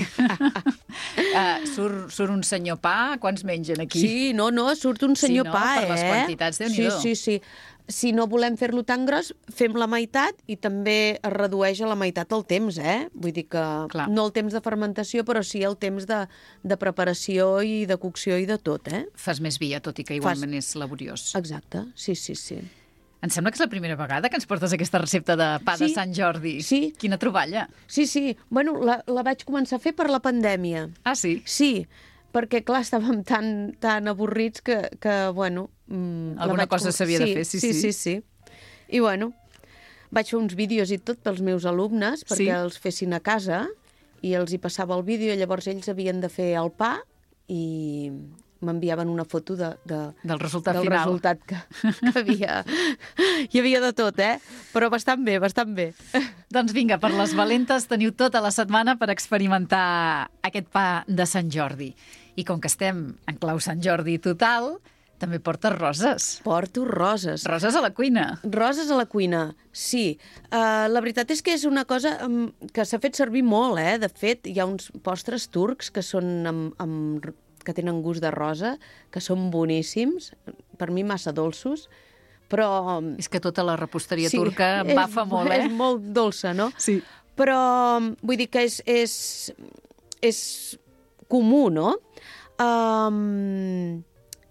uh, surt, surt un senyor pa, quants mengen aquí? Sí, no, no, surt un senyor Sí, no? pa, eh? Per les quantitats, sí, Déu-n'hi-do. sí, sí. Si no volem fer-lo tan gros, fem la meitat i també es redueix a la meitat el temps, eh? Vull dir que Clar. no el temps de fermentació, però sí el temps de, de preparació i de cocció i de tot, eh? Fas més via, tot i que igualment és laboriós. Exacte, sí, sí, sí. Em sembla que és la primera vegada que ens portes aquesta recepta de pa de Sí, Sant Jordi. sí. Quina troballa. Sí, sí. Bueno, la, la vaig començar a fer per la pandèmia. Ah, sí? Sí, perquè, clar, estàvem tan, tan avorrits que, que bueno... Mm, la Alguna vaig cosa com- s'havia de fer, sí, sí. sí. Sí, sí, I, bueno, vaig fer uns vídeos i tot pels meus alumnes perquè Sí. els fessin a casa i els hi passava el vídeo i llavors ells havien de fer el pa i m'enviaven una foto de, de, Del resultat del final. resultat que, que havia. Hi havia de tot, eh? Però bastant bé, bastant bé. Doncs vinga, per les valentes teniu tota la setmana per experimentar aquest pa de Sant Jordi. I com que estem en clau Sant Jordi total, també portes roses. Porto roses. Roses a la cuina. Roses a la cuina, sí. Uh, la veritat és que és una cosa um, que s'ha fet servir molt, eh? De fet, hi ha uns postres turcs que són amb, amb, que tenen gust de rosa, que són boníssims, per mi massa dolços, però... És que tota la reposteria sí, turca és, bafa molt, eh? És molt dolça, no? Sí. Però vull dir que és, és, és comú, no? Um,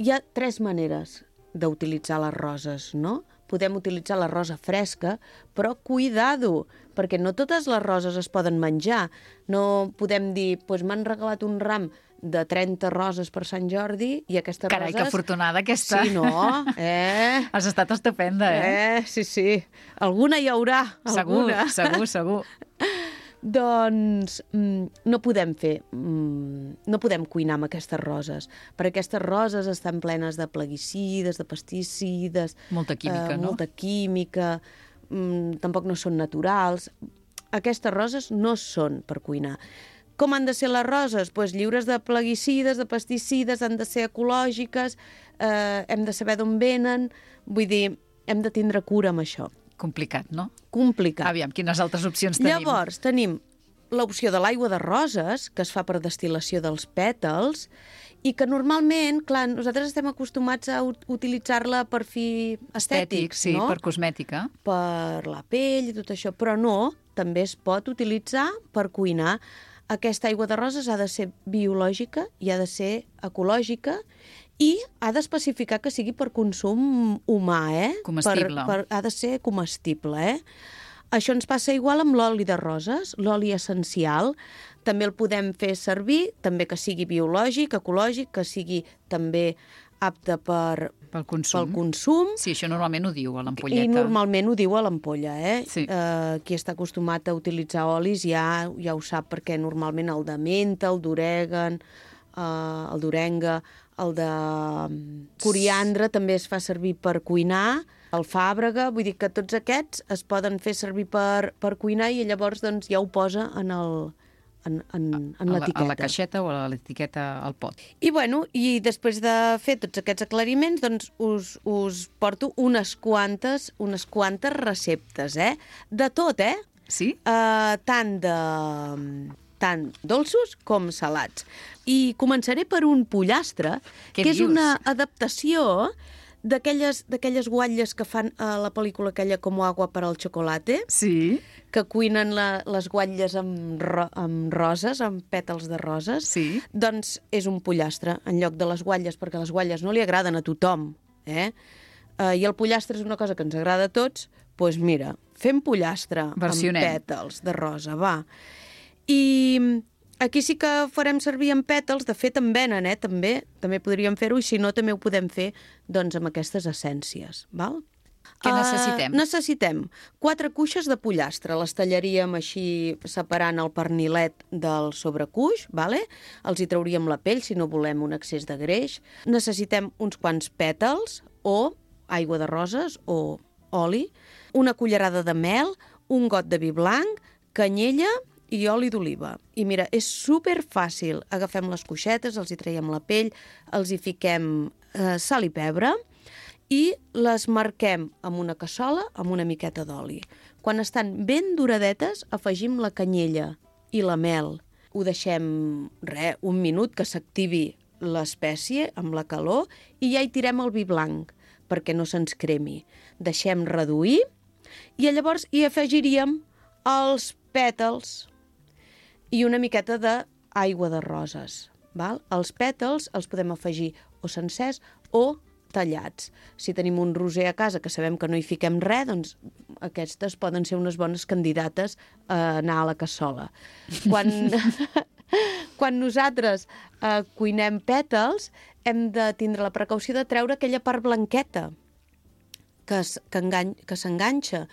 hi ha tres maneres d'utilitzar les roses, no? Podem utilitzar la rosa fresca, però cuidado, perquè no totes les roses es poden menjar. No podem dir, doncs m'han regalat un ram de trenta roses per Sant Jordi i aquestes Carai, roses... que afortunada aquesta. Sí, no? Eh? Has estat estupenda, eh? Eh, sí, sí. Alguna hi haurà, Segur, alguna. segur, segur. Doncs mm, no podem fer, mm, no podem cuinar amb aquestes roses, perquè aquestes roses estan plenes de plaguicides, de pesticides... Molta química, no? Molta química, mm, tampoc no són naturals. Aquestes roses no són per cuinar. Com han de ser les roses? Pues lliures de plaguicides, de pesticides, han de ser ecològiques, eh, hem de saber d'on venen, vull dir, hem de tindre cura amb això. Complicat, no? Complicat. Aviam, quines altres opcions tenim? Llavors, tenim l'opció de l'aigua de roses, que es fa per destil·lació dels pètals, i que normalment, clar, nosaltres estem acostumats a ut- utilitzar-la per fi estètics, sí, no? per cosmètica. Per la pell i tot això, però no, també es pot utilitzar per cuinar. Aquesta aigua de roses ha de ser biològica i ha de ser ecològica i ha d'especificar que sigui per consum humà, eh? Comestible. Per, per, ha de ser comestible, eh? Això ens passa igual amb l'oli de roses, l'oli essencial. També el podem fer servir, també que sigui biològic, ecològic, que sigui també apte per, Pel consum. pel consum. Sí, això normalment ho diu a l'ampolleta. I normalment ho diu a l'ampolla, eh? Sí. Eh, qui està acostumat a utilitzar olis ja, ja ho sap, perquè normalment el de menta, el d'orègan, eh, el d'orenga, el de coriandre també es fa servir per cuinar, el fàbrega, vull dir que tots aquests es poden fer servir per, per cuinar i llavors doncs, ja ho posa en el, en, en, en a la, l'etiqueta. a la caixeta o a l'etiqueta al pot. I, bueno, i després de fer tots aquests aclariments, doncs us, us porto unes quantes, unes quantes receptes, eh? De tot, eh? Sí? Uh, tant de tant dolços com salats. I començaré per un pollastre, Què que és dius? una adaptació d'aquelles d'aquelles guatlles que fan a la pel·lícula aquella Com agua per al chocolate, Sí. que cuinen la, les guatlles amb, ro, amb roses, amb pètals de roses. Sí. Doncs és un pollastre en lloc de les guatlles, perquè les guatlles no li agraden a tothom, eh? Uh, I el pollastre és una cosa que ens agrada a tots, doncs mira, fem pollastre Versionem. amb pètals de rosa, va. I aquí sí que farem servir amb pètals, de fet en venen, eh, també, també podríem fer-ho, i si no també ho podem fer doncs amb aquestes essències, val? Què necessitem? Uh, necessitem quatre cuixes de pollastre, les tallaríem així separant el pernilet del sobrecuix, vale? Els hi trauríem la pell si no volem un excés de greix. Necessitem uns quants pètals o aigua de roses o oli, una cullerada de mel, un got de vi blanc, canyella i oli d'oliva. I mira, és super fàcil. Agafem les cuixetes, els hi traiem la pell, els hi fiquem eh, sal i pebre i les marquem amb una cassola amb una miqueta d'oli. Quan estan ben duradetes, afegim la canyella i la mel. Ho deixem, re, un minut que s'activi l'espècie amb la calor i ja hi tirem el vi blanc perquè no se'ns cremi. Deixem reduir i llavors hi afegiríem els pètals i una miqueta d'aigua de roses. Val? Els pètals els podem afegir o sencers o tallats. Si tenim un roser a casa que sabem que no hi fiquem res, doncs aquestes poden ser unes bones candidates a anar a la cassola. Quan, quan nosaltres eh, cuinem pètals, hem de tindre la precaució de treure aquella part blanqueta que, es, que, engany, que s'enganxa,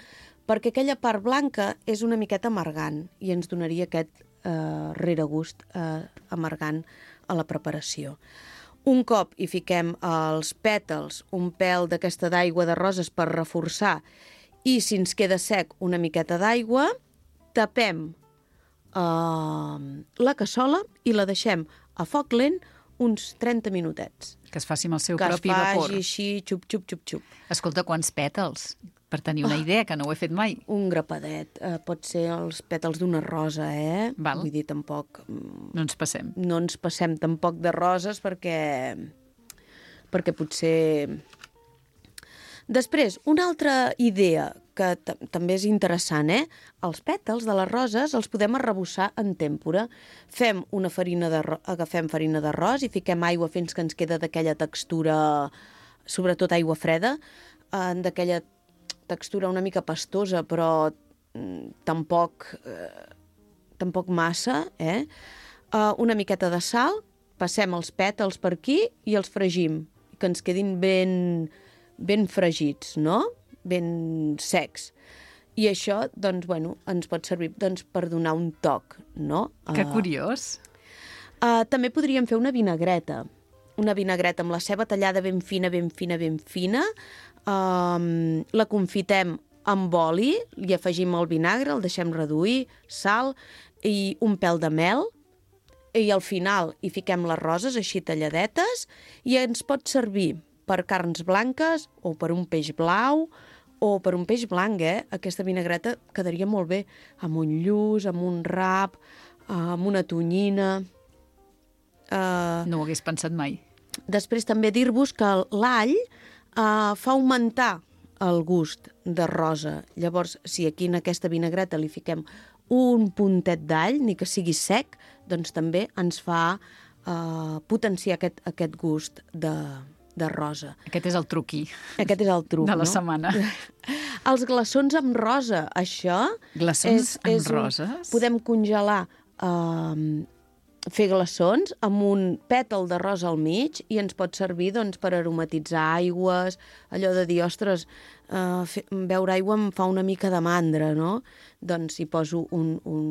perquè aquella part blanca és una miqueta amargant i ens donaria aquest eh, reregust eh, amargant a la preparació. Un cop hi fiquem els pètals, un pèl d'aquesta d'aigua de roses per reforçar i si ens queda sec una miqueta d'aigua, tapem eh, la cassola i la deixem a foc lent uns trenta minutets. Que es faci amb el seu que propi es faci vapor. així, xup, xup, xup, xup. Escolta, quants pètals? Per tenir una idea, que no ho he fet mai. Un grapadet. Eh, pot ser els pètals d'una rosa, eh? Val. Vull dir, tampoc... mm, No ens passem. No ens passem tampoc de roses perquè... perquè potser... Després, una altra idea que també és interessant, eh? Els pètals de les roses els podem arrebossar en tèmpora. Fem una farina de... Agafem farina d'arròs i fiquem aigua fins que ens queda d'aquella textura, sobretot aigua freda, eh, d'aquella textura una mica pastosa, però mm, tampoc, eh, tampoc massa, eh? Uh, una miqueta de sal, passem els pètals per aquí i els fregim, que ens quedin ben, ben fregits, no? Ben secs. I això, doncs, bueno, ens pot servir doncs, per donar un toc, no? Que Uh, curiós. Uh, també podríem fer una vinagreta. Una vinagreta amb la ceba tallada ben fina, ben fina, ben fina. Um, la confitem amb oli, li afegim el vinagre, el deixem reduir, sal i un pèl de mel. I al final hi fiquem les roses així talladetes i ens pot servir per carns blanques o per un peix blau o per un peix blanc, eh? Aquesta vinagreta quedaria molt bé amb un lluç, amb un rap, amb una tonyina. Uh, No ho hagués pensat mai. Després també dir-vos que l'all uh, fa augmentar el gust de rosa. Llavors, si aquí en aquesta vinagreta li fiquem un puntet d'all, ni que sigui sec, doncs també ens fa uh, potenciar aquest, aquest gust de, de rosa. Aquest és el truqui Aquest és el truc, de la no? setmana. Els glaçons amb rosa, això... Glaçons amb un- roses? Podem congelar, uh, fer glaçons amb un pètal de rosa al mig i ens pot servir doncs, per aromatitzar aigües, allò de dir, ostres, uh, fer, beure aigua em fa una mica de mandra, no? Doncs hi poso un, un,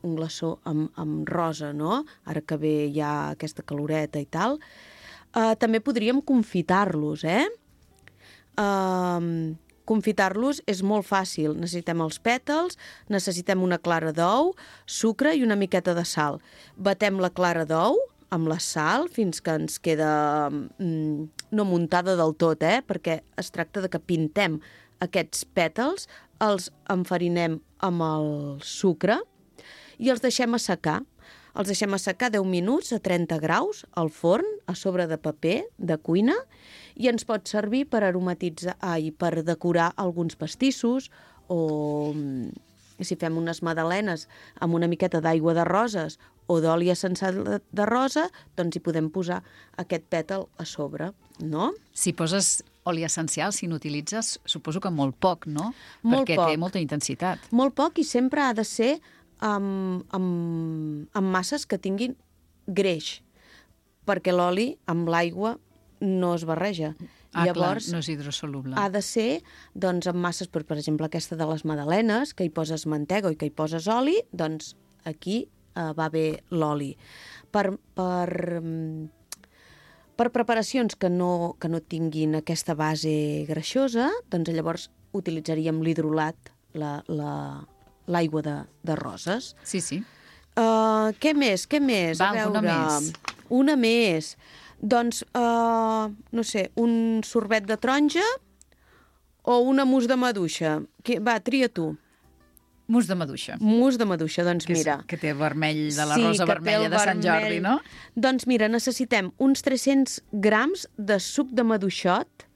un glaçó amb, amb rosa, no? Ara que ve ja aquesta caloreta i tal. Uh, també podríem confitar-los, eh? Uh, confitar-los és molt fàcil. Necessitem els pètals, necessitem una clara d'ou, sucre i una miqueta de sal. Batem la clara d'ou amb la sal fins que ens queda mm, no muntada del tot, eh? Perquè es tracta de que pintem aquests pètals, els enfarinem amb el sucre i els deixem assecar. Els deixem assecar deu minuts a trenta graus al forn, a sobre de paper de cuina, i ens pot servir per aromatitzar, ai, per decorar alguns pastissos o si fem unes magdalenes amb una miqueta d'aigua de roses o d'oli essencial de rosa, doncs hi podem posar aquest pètal a sobre, no? Si poses oli essencial, si n'utilitzes, suposo que molt poc, no? Molt Perquè poc. té molta intensitat. Molt poc i sempre ha de ser amb, amb, amb masses que tinguin greix, perquè l'oli amb l'aigua no es barreja. Ah, Llavors, clar, no és hidrosoluble. ha de ser doncs, amb masses, per, per exemple, aquesta de les magdalenes, que hi poses mantega i que hi poses oli, doncs aquí eh, va bé l'oli. Per, per, per preparacions que no, que no tinguin aquesta base greixosa, doncs llavors utilitzaríem l'hidrolat, la, la, l'aigua de, de roses. Sí, sí. Uh, què més? Què més? Va, A veure, una més. Una més. Doncs, uh, no sé, un sorbet de taronja o una mousse de maduixa? Que, va, tria tu. Mousse de maduixa. Mousse de maduixa, doncs Que, és, mira. que té vermell de la Sí, rosa que té vermella el de Sant vermell. Jordi, no? Doncs mira, necessitem uns tres-cents grams de suc de maduixot.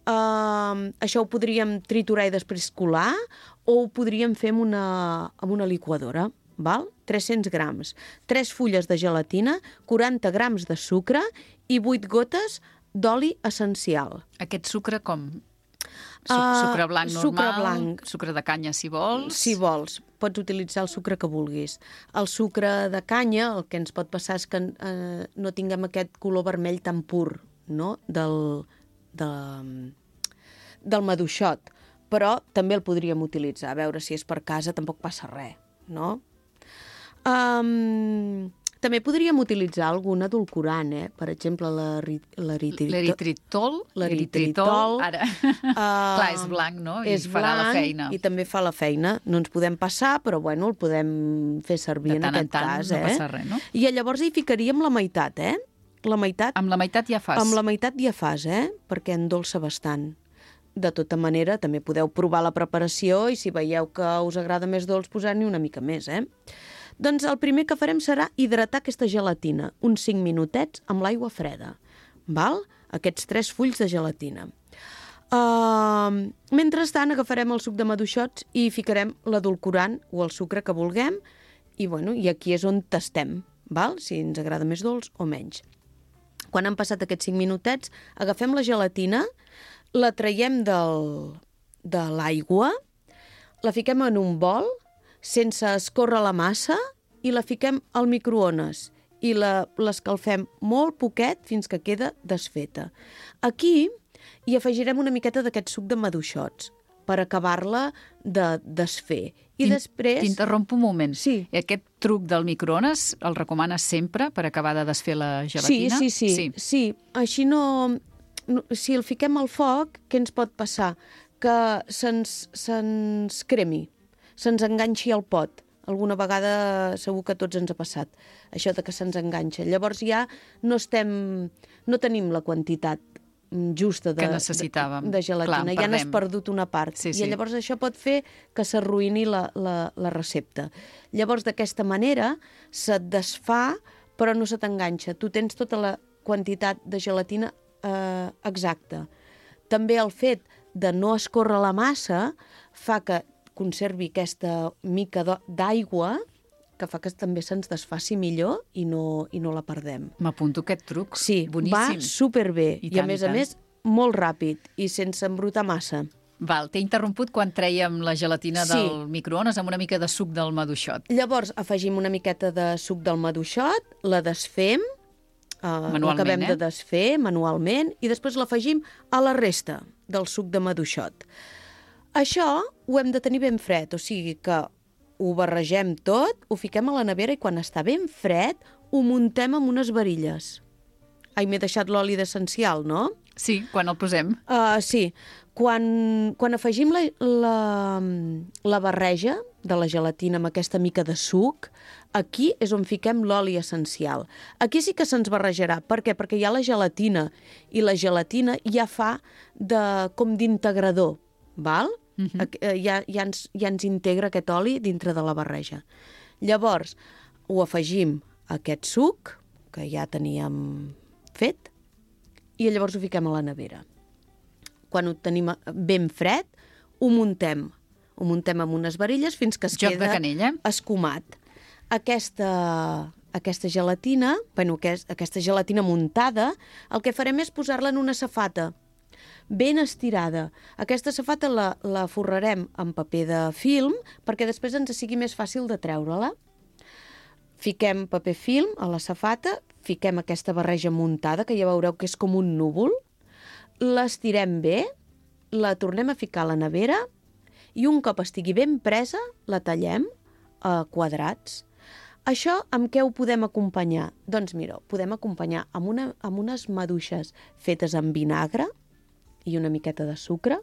Uh, això ho podríem triturar i després colar o ho podríem fer amb una, amb una liquadora. Val? tres-cents grams. tres fulles de gelatina, quaranta grams de sucre i vuit gotes d'oli essencial. Aquest sucre com? Suc, Ah, sucre blanc normal? sucre blanc. Sucre de canya, si vols? Si vols, pots utilitzar el sucre que vulguis. El sucre de canya, el que ens pot passar és que eh, no tinguem aquest color vermell tan pur, no?, del, de, del maduixot. Però també el podríem utilitzar. A veure, si és per casa tampoc passa res, no? Um, també podríem utilitzar algun edulcorant, eh? Per exemple, l'eritritol. L'eritritol. L'eritritol. Ara. Uh, Clar, és blanc, no? I és farà blanc la feina. I també fa la feina. No ens podem passar, però bueno, el podem fer servir De en tant en aquest tant cas. no eh? passa res, no? I llavors hi ficaríem la meitat, eh? La meitat, Amb la meitat ja fas. amb la meitat ja fas, eh? Perquè endolça bastant. De tota manera, també podeu provar la preparació i si veieu que us agrada més dolç, posar-n'hi una mica més, eh? Doncs el primer que farem serà hidratar aquesta gelatina, uns cinc minutets amb l'aigua freda, val? Aquests tres fulls de gelatina. Uh, mentrestant, agafarem el suc de maduixots i hi ficarem l'edulcorant o el sucre que vulguem i, bueno, i aquí és on tastem, val? Si ens agrada més dolç o menys. Quan han passat aquests cinc minutets, agafem la gelatina, la traiem del, de l'aigua, la fiquem en un bol, sense escórrer la massa, i la fiquem al microones i l'escalfem molt poquet fins que queda desfeta. Aquí hi afegirem una miqueta d'aquest suc de maduixots per acabar-la de desfer. I després... T'interrompo un moment. Sí. I aquest truc del microones el recomanes sempre per acabar de desfer la gelatina? Sí, sí, sí. sí. sí. Així no, no... Si el fiquem al foc, què ens pot passar? Que se'ns se'ns cremi, se'ns enganxi al pot. Alguna vegada segur que a tots ens ha passat, això de que se'ns enganxa. Llavors ja no estem, no tenim la quantitat justa de, que necessitàvem. de, de gelatina. Clar, ja n'has perdut una part. Sí, sí. I llavors això pot fer que s'arruïni la, la, la recepta. Llavors, d'aquesta manera, se't desfà, però no se t'enganxa. Tu tens tota la quantitat de gelatina eh, exacta. També el fet de no escórrer la massa fa que conservi aquesta mica d'aigua que fa que també se'ns desfaci millor i no, i no la perdem. M'apunto aquest truc. Sí, boníssim. Va superbé. I, I, I tant, a més i a tant. més, molt ràpid i sense embrutar massa. Val, t'he interromput quan trèiem la gelatina Sí. del microones amb una mica de suc del maduixot. Llavors afegim una miqueta de suc del maduixot, la desfem, uh, l'acabem eh? de desfer manualment i després l'afegim a la resta del suc de maduixot. Això ho hem de tenir ben fred, o sigui que ho barregem tot, ho fiquem a la nevera i quan està ben fred ho muntem amb unes varilles. Ai, m'he deixat l'oli d'essencial, no? Sí, quan el posem. Uh, sí. Quan, quan afegim la, la, la barreja de la gelatina amb aquesta mica de suc, aquí és on fiquem l'oli essencial. Aquí sí que se'ns barrejarà. Per què? Perquè hi ha la gelatina, i la gelatina ja fa de, com d'integrador, val? Uh-huh. Ja, ja, ens, ja ens integra aquest oli dintre de la barreja. Llavors, ho afegim a aquest suc, que ja teníem fet, i llavors ho fiquem a la nevera. Quan ho tenim ben fred, ho muntem. Ho muntem amb unes varilles fins que es Joc queda de canella. escumat. Aquesta, aquesta gelatina, bueno, aquesta gelatina muntada, el que farem és posar-la en una safata ben estirada. Aquesta safata la, la forrarem amb paper de film perquè després ens sigui més fàcil de treure-la. Fiquem paper film a la safata, fiquem aquesta barreja muntada, que ja veureu que és com un núvol, l'estirem bé, la tornem a ficar a la nevera i un cop estigui ben presa, la tallem a quadrats. Això amb què ho podem acompanyar? Doncs mira, podem acompanyar amb, una, amb unes maduixes fetes amb vinagre i una miqueta de sucre.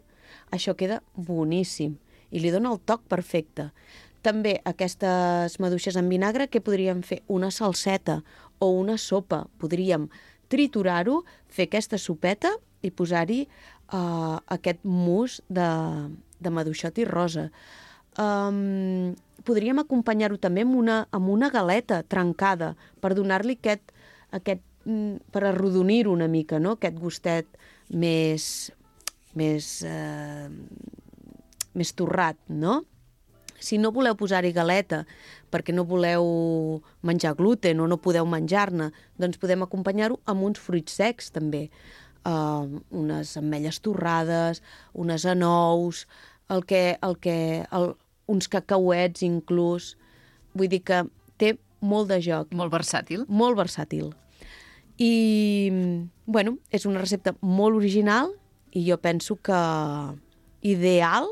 Això queda boníssim i li dona el toc perfecte. També aquestes maduixes amb vinagre, què podríem fer? Una salseta o una sopa. Podríem triturar-ho, fer aquesta sopeta i posar-hi uh, aquest mousse de, de maduixot i rosa. Um, podríem acompanyar-ho també amb una, amb una galeta trencada per donar-li aquest, aquest, per arrodonir-ho una mica, no? Aquest gustet més, més, uh, més torrat, no? Si no voleu posar-hi galeta perquè no voleu menjar gluten o no podeu menjar-ne, doncs podem acompanyar-ho amb uns fruits secs també. Uh, unes ametlles torrades, unes anous, el que, el que, el, uns cacauets inclús. Vull dir que té molt de joc. Molt versàtil. Molt versàtil. I, bueno, és una recepta molt original i jo penso que ideal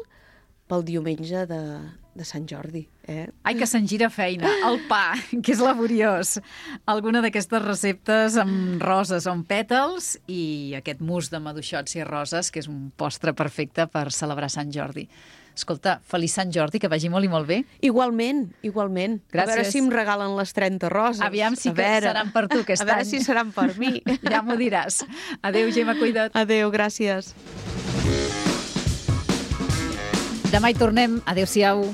pel diumenge de, de Sant Jordi. Eh? Ai, que se'n gira feina. El pa, que és laboriós. Alguna d'aquestes receptes amb roses o amb pètals i aquest mousse de maduixots i roses, que és un postre perfecte per celebrar Sant Jordi. Escolta, feliç Sant Jordi, que vagi molt i molt bé. Igualment, igualment. Gràcies. A veure si em regalen les trenta roses. Aviam si que seran per tu aquest any. A veure si seran per mi. Ja m'ho diràs. Adéu, Gemma, cuida't. Adéu, gràcies. Demà hi tornem. Adéu-siau.